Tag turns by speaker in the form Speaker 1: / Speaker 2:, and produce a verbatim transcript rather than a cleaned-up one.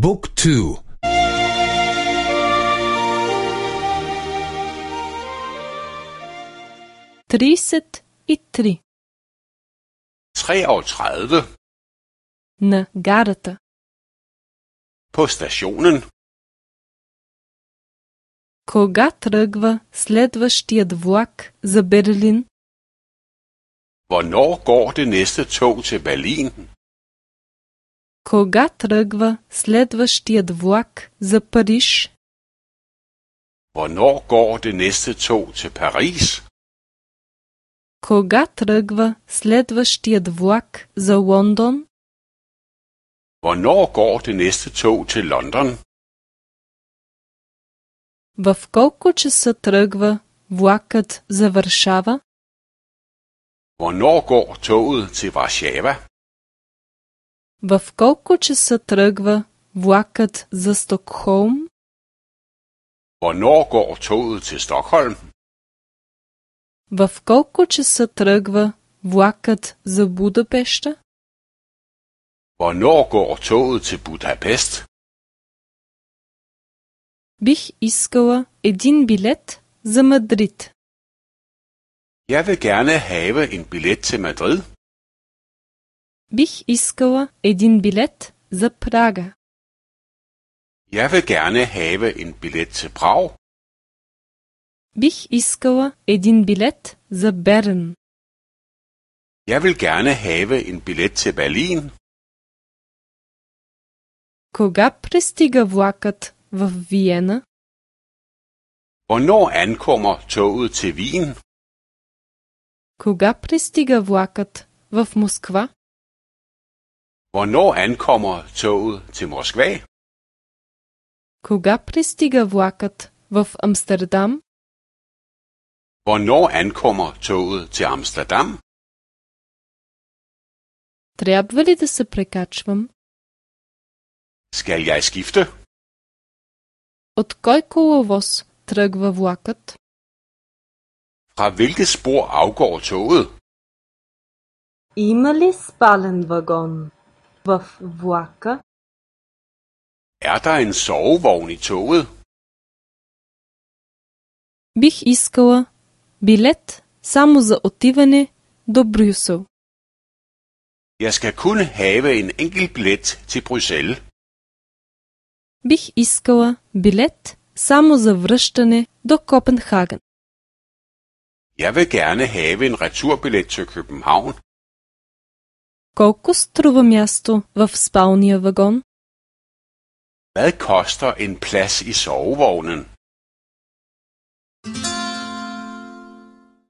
Speaker 1: บุ๊กทู
Speaker 2: тридцать и три.
Speaker 3: treogtredive.
Speaker 2: На гарата.
Speaker 3: På stationen.
Speaker 2: Кога тръгва следващият влак за Берлин?
Speaker 3: Hvornår går det næste tog til Berlin?
Speaker 2: Кога тръгва следващият влак за Париж?
Speaker 3: Hvornår går det næste tog til Paris?
Speaker 2: Кога тръгва следващият влак за Лондон?
Speaker 3: Hvornår går det næste tog til London?
Speaker 2: В колко часа тръгва влакът за Варшава?
Speaker 3: Hvornår går toget til Warszawa?
Speaker 2: В колко часа тръгва влакът за Стокхолм?
Speaker 3: Hvornår går toget til Stockholm?
Speaker 2: В колко часа тръгва влакът за Будапеща?
Speaker 3: Hvornår går toget til Budapest?
Speaker 2: Бих искала един билет за Мадрид.
Speaker 3: Jeg vil gerne have en billet til Madrid.
Speaker 2: Бих искала един билет за Прага.
Speaker 3: Jeg vil gerne have en billet til Prag.
Speaker 2: Бих искала един билет за Берн.
Speaker 3: Jeg vil gerne have en billet til Berlin.
Speaker 2: Кога пристига влакът в Виена?
Speaker 3: Hvornår ankommer toget til Wien?
Speaker 2: Кога пристига влакът в Москва?
Speaker 3: Hvornår ankommer toget til Moskva?
Speaker 2: Кога пристига влакът в Амстердам?
Speaker 3: Hvornår ankommer toget til Amsterdam?
Speaker 2: Трябва ли да се прекачвам?
Speaker 3: Skal jeg skifte?
Speaker 2: От кой коловоз тръгва влакът?
Speaker 3: Fra hvilket spor afgår toget?
Speaker 4: Има ли спален вагон в влака?
Speaker 3: Er der en sovevogn i toget?
Speaker 2: Бих искала билет само за отиване до Брюсел.
Speaker 3: Jeg skal kun have en enkelt billet til Bruxelles.
Speaker 2: Бих искала билет само за връщане до Копенхаген.
Speaker 3: Jeg vil gerne have en returbillet til København.
Speaker 2: Колко струва място в спалния вагон?
Speaker 3: Hvad koster en plads i sovevognen?